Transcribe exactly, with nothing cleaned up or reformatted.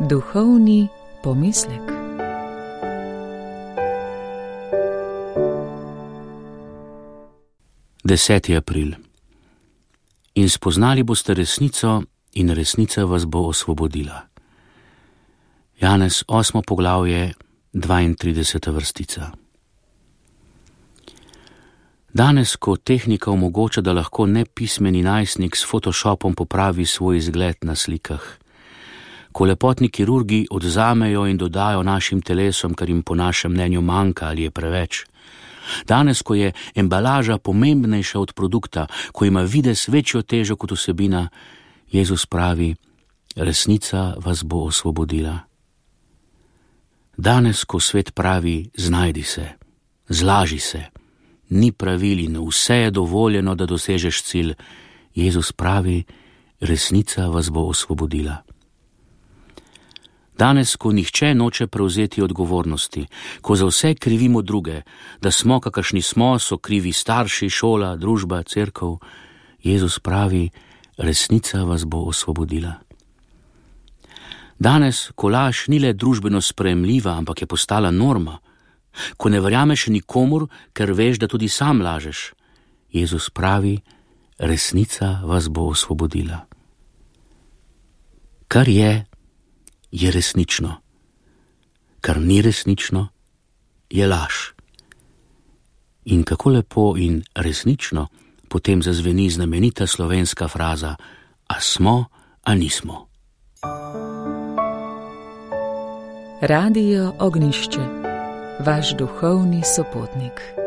Duhovni pomislek. deseti april. In spoznali boste resnico, in resnica vas bo osvobodila. Janez osmo poglavje, dvaintrideseta vrstica. Danes, ko tehnika omogoča, da lahko nepismeni najstnik s Photoshopom popravi svoj izgled na slikah, ko lepotni kirurgi odzamejo in dodajo našim telesom, kar jim po našem mnenju manjka ali je preveč, danes, ko je embalaža pomembnejša od produkta, ko ima videz večjo težo kot vsebina, Jezus pravi, resnica vas bo osvobodila. Danes, ko svet pravi, znajdi se, zlaži se, ni pravil in vse je dovoljeno, da dosežeš cilj, Jezus pravi, resnica vas bo osvobodila. Danes, ko nihče noče prevzeti odgovornosti, ko za vse krivimo druge, da smo, kakršni smo, so krivi starši, šola, družba, cerkev, Jezus pravi, resnica vas bo osvobodila. Danes, ko laž ni le družbeno sprejemljiva, ampak je postala norma, ko ne verjameš nikomur, ker veš, da tudi sam lažeš, Jezus pravi, resnica vas bo osvobodila. Kar je, je resnično. Kar ni resnično, je laž. In kako lepo in resnično potem zazveni znamenita slovenska fraza, a smo, a nismo. Radio Ognišče, vaš duhovni sopotnik.